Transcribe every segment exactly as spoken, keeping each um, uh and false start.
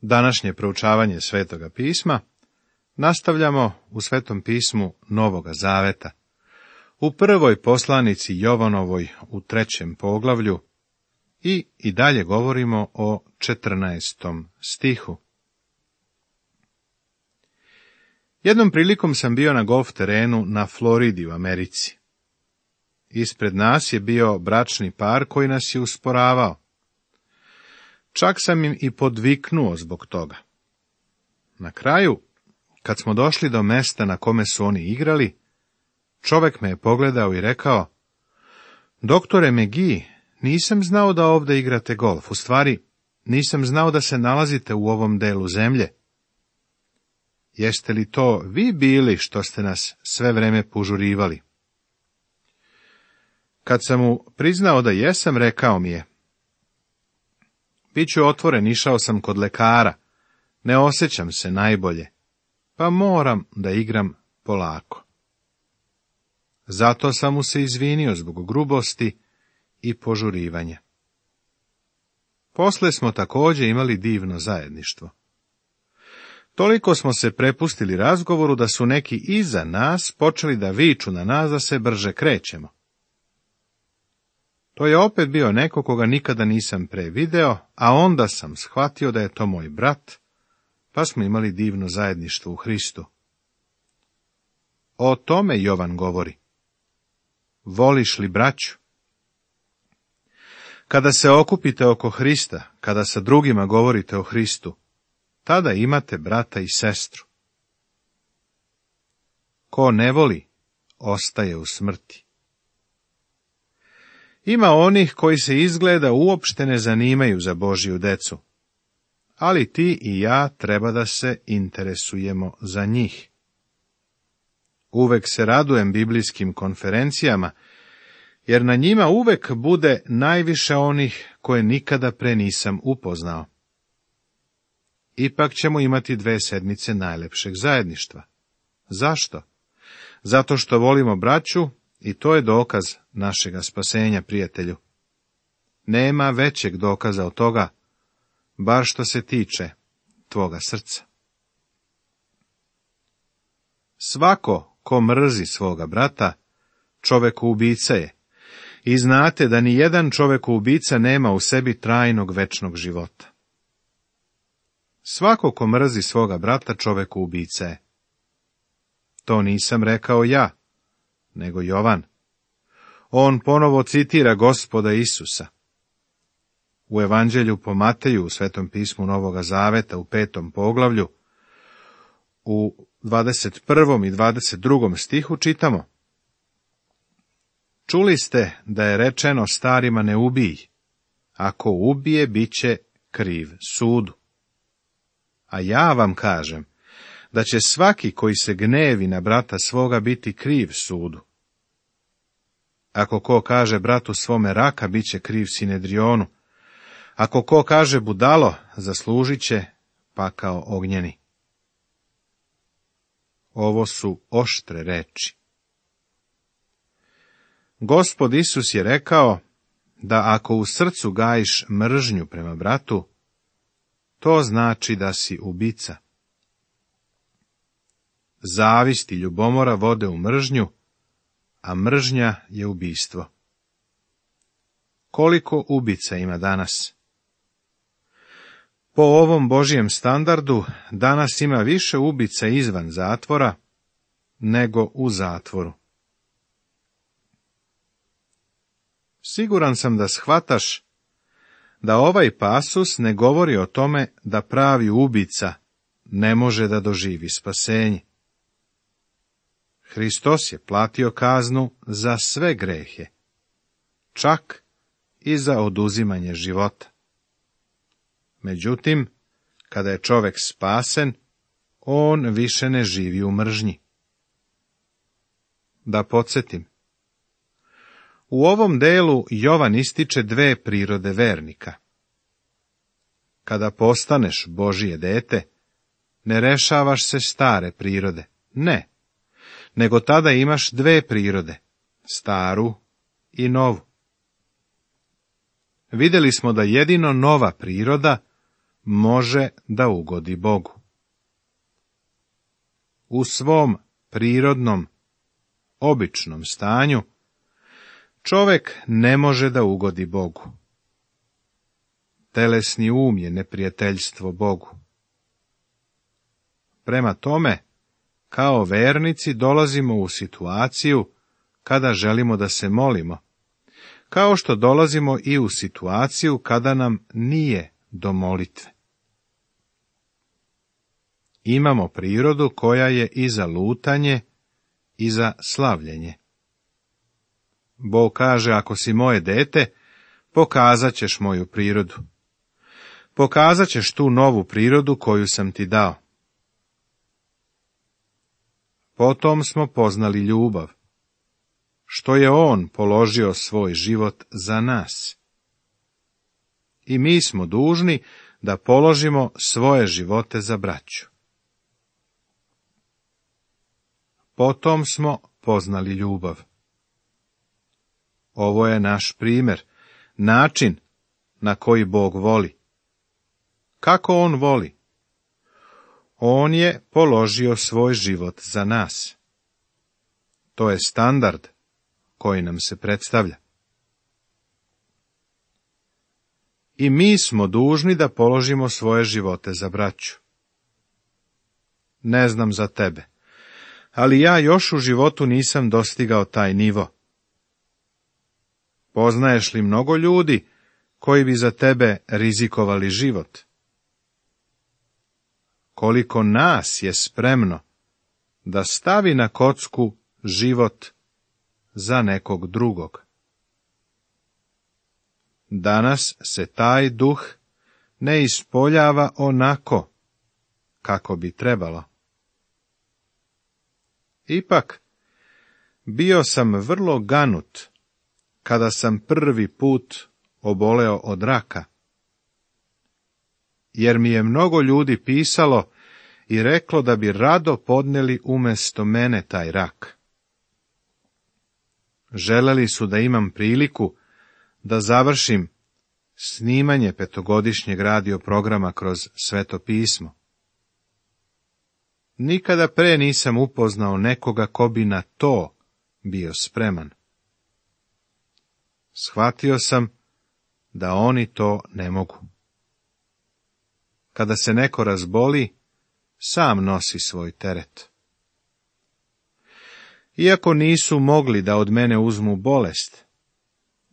Današnje proučavanje Svetoga pisma nastavljamo u Svetom pismu Novoga Zaveta, u prvoj poslanici Jovanovoj u trećem poglavlju i i dalje govorimo o četrnaestom stihu. Jednom prilikom sam bio na golf terenu na Floridi u Americi. Ispred nas je bio bračni par koji nas je usporavao. Čak sam im i podviknuo zbog toga. Na kraju, kad smo došli do mesta na kome su oni igrali, čovek me je pogledao i rekao: "Doktore McGee, nisam znao da ovde igrate golf, u stvari nisam znao da se nalazite u ovom delu zemlje. Jeste li to vi bili što ste nas sve vreme požurivali?" Kad sam mu priznao da jesam, rekao mi je: "Biću otvoren, išao sam kod lekara, ne osjećam se najbolje, pa moram da igram polako." Zato sam mu se izvinio zbog grubosti i požurivanja. Posle smo također imali divno zajedništvo. Toliko smo se prepustili razgovoru da su neki iza nas počeli da viču na nas da se brže krećemo. To je opet bio neko koga nikada nisam pre video, a onda sam shvatio da je to moj brat, pa smo imali divno zajedništvo u Hristu. O tome Jovan govori. Voliš li braću? Kada se okupite oko Hrista, kada sa drugima govorite o Hristu, tada imate brata i sestru. Ko ne voli, ostaje u smrti. Ima onih koji se izgleda uopšte ne zanimaju za Božju decu, ali ti i ja treba da se interesujemo za njih. Uvek se radujem biblijskim konferencijama, jer na njima uvek bude najviše onih koje nikada pre nisam upoznao. Ipak ćemo imati dve sedmice najlepšeg zajedništva. Zašto? Zato što volimo braću i to je dokaz našega spasenja, prijatelju. Nema većeg dokaza od toga, bar što se tiče tvoga srca. Svako ko mrzi svoga brata, čovekoubica je, i znate da ni jedan čovekoubica nema u sebi trajnog večnog života. Svako ko mrzi svoga brata, čovekoubica je. To nisam rekao ja, nego Jovan. On ponovo citira Gospoda Isusa. U Evanđelju po Mateju, u Svetom pismu Novoga Zaveta, u petom poglavlju, u dvadeset prvom i dvadeset drugom stihu čitamo: "Čuli ste da je rečeno starima ne ubij, ako ubije, bit će kriv sudu. A ja vam kažem da će svaki koji se gnevi na brata svoga biti kriv sudu. Ako ko kaže bratu svome raka, bit će kriv Sinedrionu. Ako ko kaže budalo, zaslužit će pakao ognjeni." Ovo su oštre reči. Gospod Isus je rekao da ako u srcu gajiš mržnju prema bratu, to znači da si ubica. Zavist i ljubomora vode u mržnju, a mržnja je ubistvo. Koliko ubica ima danas? Po ovom Božjem standardu, danas ima više ubica izvan zatvora nego u zatvoru. Siguran sam da shvataš da ovaj pasus ne govori o tome da pravi ubica ne može da doživi spasenje. Hristos je platio kaznu za sve grehe, čak i za oduzimanje života. Međutim, kada je čovek spasen, on više ne živi u mržnji. Da podsjetim, u ovom delu Jovan ističe dve prirode vernika. Kada postaneš Božije dete, ne rešavaš se stare prirode, ne, nego tada imaš dve prirode, staru i novu. Vidjeli smo da jedino nova priroda može da ugodi Bogu. U svom prirodnom, običnom stanju, čovjek ne može da ugodi Bogu. Telesni um je neprijateljstvo Bogu. Prema tome, kao vernici dolazimo u situaciju kada želimo da se molimo, kao što dolazimo i u situaciju kada nam nije do molitve. Imamo prirodu koja je i za lutanje i za slavljenje. Bog kaže, ako si moje dete, pokazat ćeš moju prirodu. Pokazat ćeš tu novu prirodu koju sam ti dao. Potom smo poznali ljubav, što je on položio svoj život za nas. I mi smo dužni da položimo svoje živote za braću. Potom smo poznali ljubav. Ovo je naš primjer, način na koji Bog voli. Kako on voli? On je položio svoj život za nas. To je standard koji nam se predstavlja. I mi smo dužni da položimo svoje živote za braću. Ne znam za tebe, ali ja još u životu nisam dostigao taj nivo. Poznaješ li mnogo ljudi koji bi za tebe rizikovali život? Koliko nas je spremno da stavi na kocku život za nekog drugog? Danas se taj duh ne ispoljava onako kako bi trebalo. Ipak, bio sam vrlo ganut kada sam prvi put oboleo od raka, jer mi je mnogo ljudi pisalo i reklo da bi rado podneli umjesto mene taj rak. Želeli su da imam priliku da završim snimanje petogodišnjeg radio programa kroz Sveto pismo. Nikada pre nisam upoznao nekoga ko bi na to bio spreman. Shvatio sam da oni to ne mogu. Kada se neko razboli, sam nosi svoj teret. Iako nisu mogli da od mene uzmu bolest,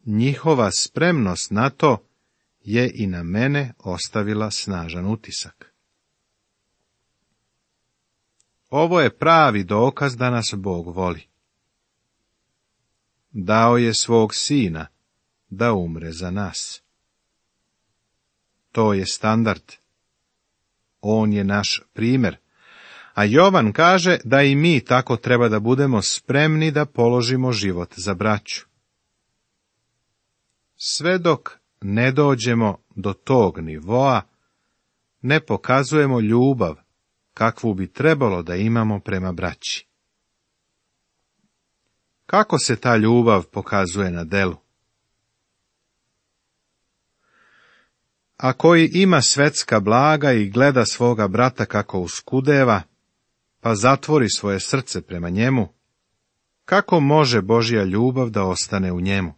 njihova spremnost na to je i na mene ostavila snažan utisak. Ovo je pravi dokaz da nas Bog voli. Dao je svog sina da umre za nas. To je standard. On je naš primjer. A Jovan kaže da i mi tako treba da budemo spremni da položimo život za braću. Sve dok ne dođemo do tog nivoa, ne pokazujemo ljubav kakvu bi trebalo da imamo prema braći. Kako se ta ljubav pokazuje na delu? A koji ima svetska blaga i gleda svoga brata kako uskudeva, pa zatvori svoje srce prema njemu, kako može Božja ljubav da ostane u njemu?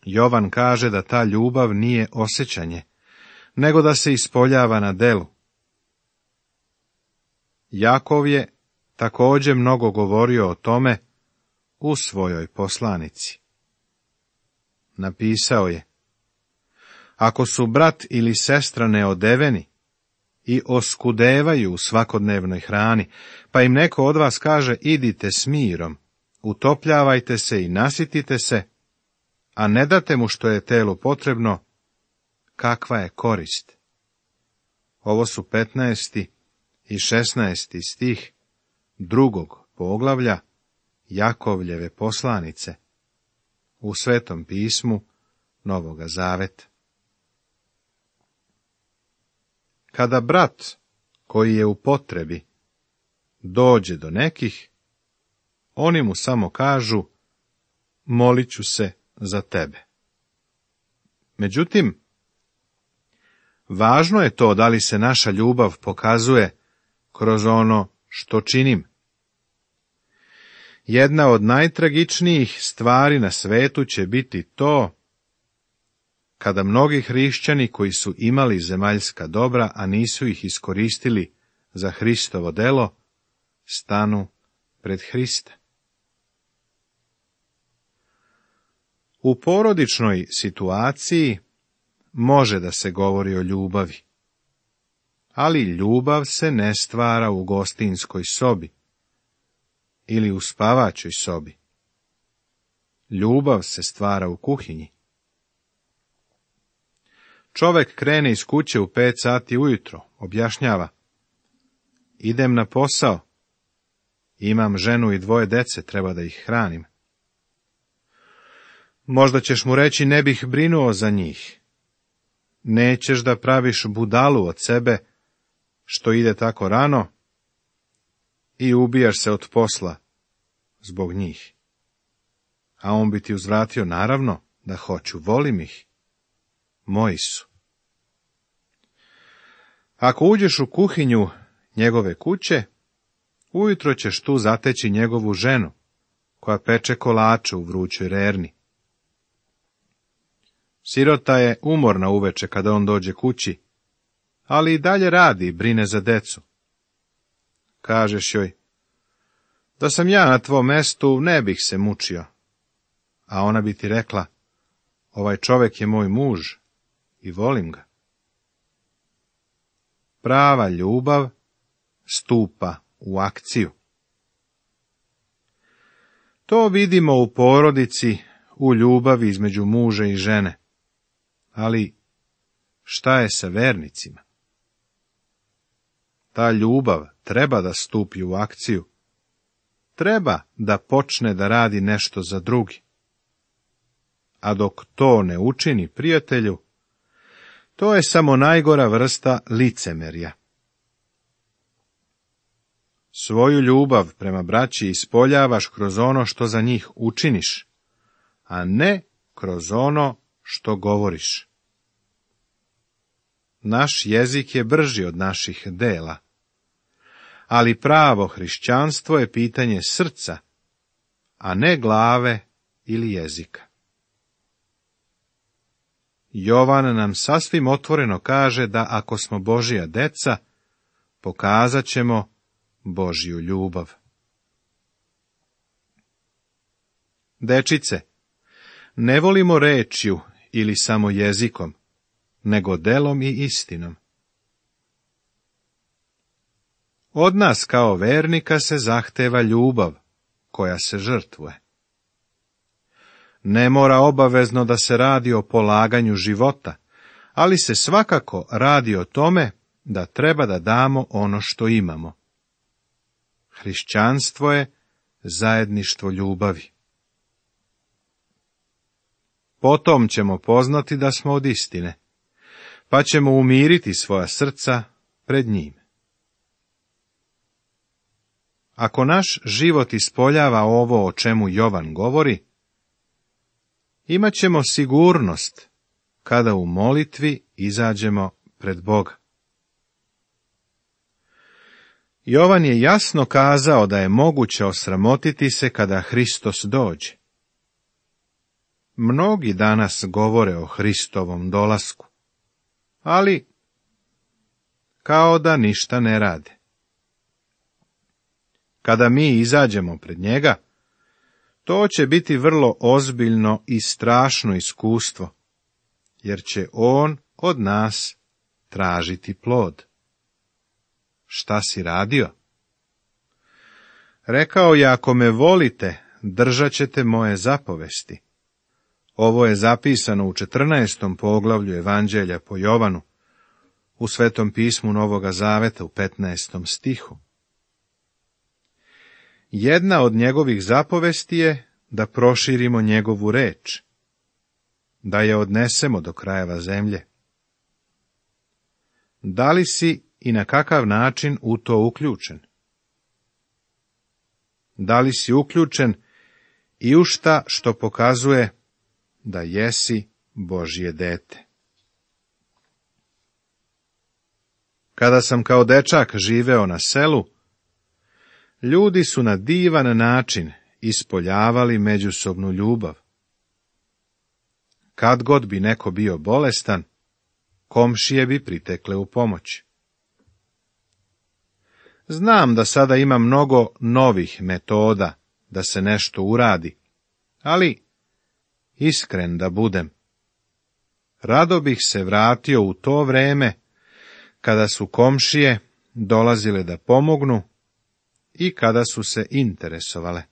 Jovan kaže da ta ljubav nije osjećanje, nego da se ispoljava na delu. Jakov je također mnogo govorio o tome u svojoj poslanici. Napisao je: ako su brat ili sestra neodeveni i oskudevaju u svakodnevnoj hrani, pa im neko od vas kaže idite s mirom, utopljavajte se i nasitite se, a ne date mu što je telu potrebno, kakva je korist? Ovo su petnaesti i šesnaesti stih drugog poglavlja Jakovljeve poslanice u Svetom pismu Novoga Zaveta. Kada brat koji je u potrebi dođe do nekih, oni mu samo kažu: molit ću se za tebe. Međutim, Važno je to da li se naša ljubav pokazuje kroz ono što činim. Jedna od najtragičnijih stvari na svetu će biti to kada mnogi hrišćani koji su imali zemaljska dobra, a nisu ih iskoristili za Hristovo delo, stanu pred Hrista. U porodičnoj situaciji može da se govori o ljubavi, ali ljubav se ne stvara u gostinskoj sobi ili u spavaćoj sobi. Ljubav se stvara u kuhinji. Čovek krene iz kuće u pet sati ujutro, objašnjava: idem na posao, imam ženu i dvoje dece, treba da ih hranim. Možda ćeš mu reći: ne bih brinuo za njih. Nećeš da praviš budalu od sebe što ide tako rano i ubijaš se od posla zbog njih. A on bi ti uzvratio: naravno da hoću, volim ih, moji su. Ako uđeš u kuhinju njegove kuće, ujutro ćeš tu zateći njegovu ženu, koja peče kolače u vrućoj rerni. Sirota je umorna uveče kada on dođe kući, ali i dalje radi i brine za decu. Kažeš joj: da sam ja na tvom mestu, ne bih se mučio. A ona bi ti rekla: ovaj čovek je moj muž i volim ga. Prava ljubav stupa u akciju. To vidimo u porodici, u ljubavi između muža i žene. Ali šta je sa vernicima? Ta ljubav treba da stupi u akciju. Treba da počne da radi nešto za drugi. A dok to ne učini, prijatelju, to je samo najgora vrsta licemerja. Svoju ljubav prema braći ispoljavaš kroz ono što za njih učiniš, a ne kroz ono što govoriš. Naš jezik je brži od naših dela, ali pravo hrišćanstvo je pitanje srca, a ne glave ili jezika. Jovan nam sasvim otvoreno kaže da ako smo Božija deca, pokazat ćemo Božju ljubav. Dečice, ne volimo rečju ili samo jezikom, nego delom i istinom. Od nas kao vernika se zahteva ljubav, koja se žrtvuje. Ne mora obavezno da se radi o polaganju života, ali se svakako radi o tome da treba da damo ono što imamo. Hrišćanstvo je zajedništvo ljubavi. Potom ćemo poznati da smo od istine, pa ćemo umiriti svoja srca pred njim. Ako naš život ispoljava ovo o čemu Jovan govori, imat ćemo sigurnost kada u molitvi izađemo pred Boga. Jovan je jasno kazao da je moguće osramotiti se kada Hristos dođe. Mnogi danas govore o Hristovom dolasku, ali kao da ništa ne rade. Kada mi izađemo pred njega, to će biti vrlo ozbiljno i strašno iskustvo, jer će on od nas tražiti plod. Šta si radio? Rekao je: ako me volite, držat ćete moje zapovesti. Ovo je zapisano u četrnaestom poglavlju Evanđelja po Jovanu, u Svetom pismu Novoga Zaveta u petnaestom stihu. Jedna od njegovih zapovesti je da proširimo njegovu reč, da je odnesemo do krajeva zemlje. Da li si i na kakav način u to uključen? Da li si uključen i u šta što pokazuje da jesi Božje dete? Kada sam kao dečak živeo na selu, ljudi su na divan način ispoljavali međusobnu ljubav. Kad god bi neko bio bolestan, komšije bi pritekle u pomoć. Znam da sada ima mnogo novih metoda da se nešto uradi, ali, iskren da budem, rado bih se vratio u to vreme kada su komšije dolazile da pomognu i kada su se interesovale.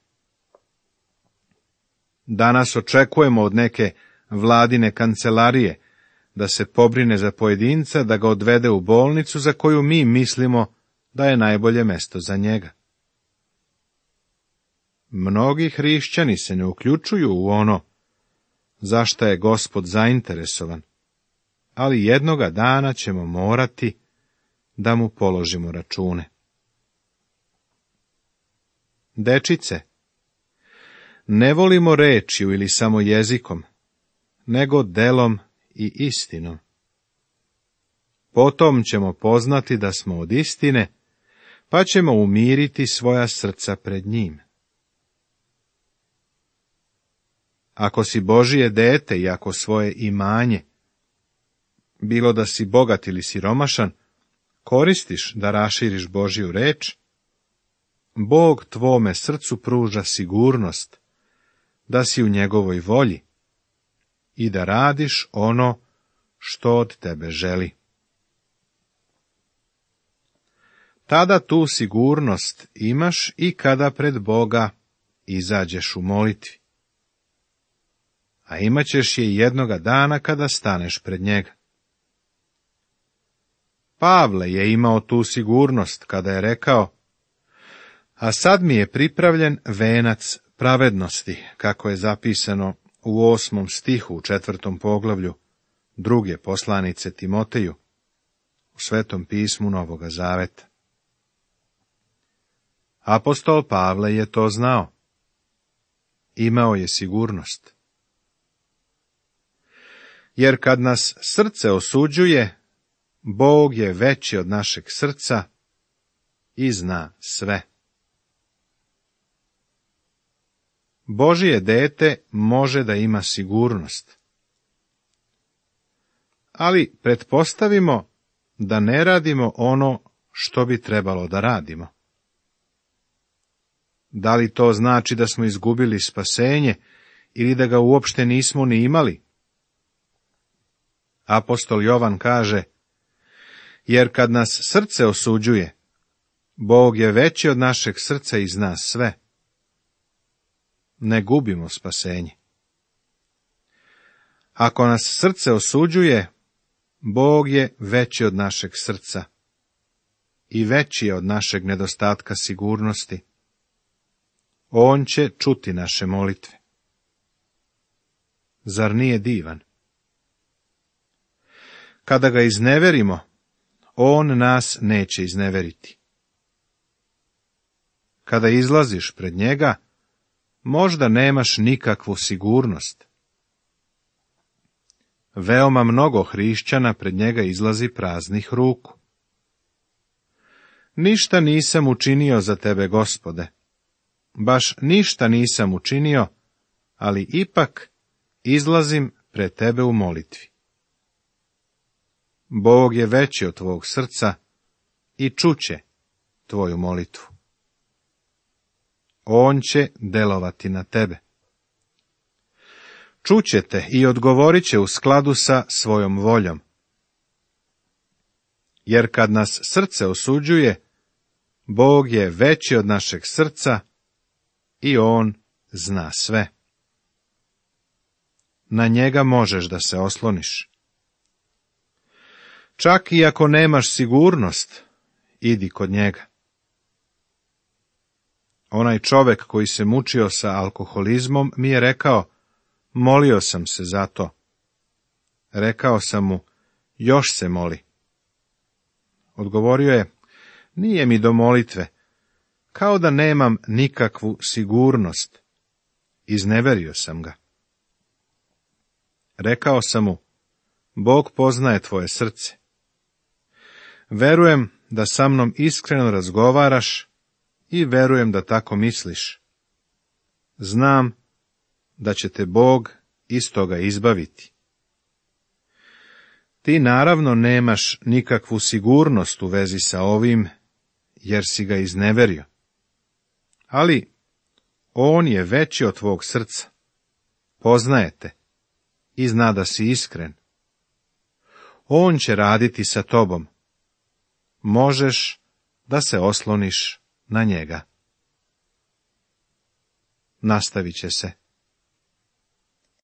Danas očekujemo od neke vladine kancelarije da se pobrine za pojedinca, da ga odvede u bolnicu za koju mi mislimo da je najbolje mesto za njega. Mnogi hrišćani se ne uključuju u ono za šta je Gospod zainteresovan, ali jednoga dana ćemo morati da mu položimo račune. Dečice, ne volimo rečju ili samo jezikom, nego delom i istinom. Potom ćemo poznati da smo od istine, pa ćemo umiriti svoja srca pred njim. Ako si Božije dete i ako svoje imanje, bilo da si bogat ili siromašan, koristiš da raširiš Božju reč, Bog tvome srcu pruža sigurnost da si u njegovoj volji i da radiš ono što od tebe želi. Tada tu sigurnost imaš i kada pred Boga izađeš u molitvi. A imat ćeš je jednoga dana kada staneš pred njega. Pavle je imao tu sigurnost kada je rekao: a sad mi je pripravljen venac pravednosti, kako je zapisano u osmom stihu u četvrtom poglavlju druge poslanice Timoteju, u Svetom pismu Novoga Zaveta. Apostol Pavle je to znao. Imao je sigurnost. Jer kad nas srce osuđuje, Bog je veći od našeg srca i zna sve. Božije dete može da ima sigurnost. Ali pretpostavimo da ne radimo ono što bi trebalo da radimo. Da li to znači da smo izgubili spasenje ili da ga uopšte nismo ni imali? Apostol Jovan kaže: jer kad nas srce osuđuje, Bog je veći od našeg srca i zna sve. Ne gubimo spasenje. Ako nas srce osuđuje, Bog je veći od našeg srca i veći je od našeg nedostatka sigurnosti. On će čuti naše molitve. Zar nije divan? Kada ga izneverimo, on nas neće izneveriti. Kada izlaziš pred njega, možda nemaš nikakvu sigurnost. Veoma mnogo hrišćana pred njega izlazi praznih ruku. Ništa nisam učinio za tebe, Gospode. Baš ništa nisam učinio, ali ipak izlazim pred tebe u molitvi. Bog je veći od tvog srca i čuće tvoju molitvu. On će delovati na tebe. Čuće te i odgovorit će u skladu sa svojom voljom. Jer kad nas srce osuđuje, Bog je veći od našeg srca i on zna sve. Na njega možeš da se osloniš. Čak i ako nemaš sigurnost, idi kod njega. Onaj čovek koji se mučio sa alkoholizmom mi je rekao: molio sam se za to. Rekao sam mu: još se moli. Odgovorio je: nije mi do molitve, kao da nemam nikakvu sigurnost. Izneverio sam ga. Rekao sam mu: Bog poznaje tvoje srce. Verujem da sa mnom iskreno razgovaraš i verujem da tako misliš. Znam da će te Bog iz toga izbaviti. Ti naravno nemaš nikakvu sigurnost u vezi sa ovim, jer si ga izneverio. Ali on je veći od tvog srca, poznaje te i zna da si iskren. On će raditi sa tobom. Možeš da se osloniš na njega. Nastavit će se.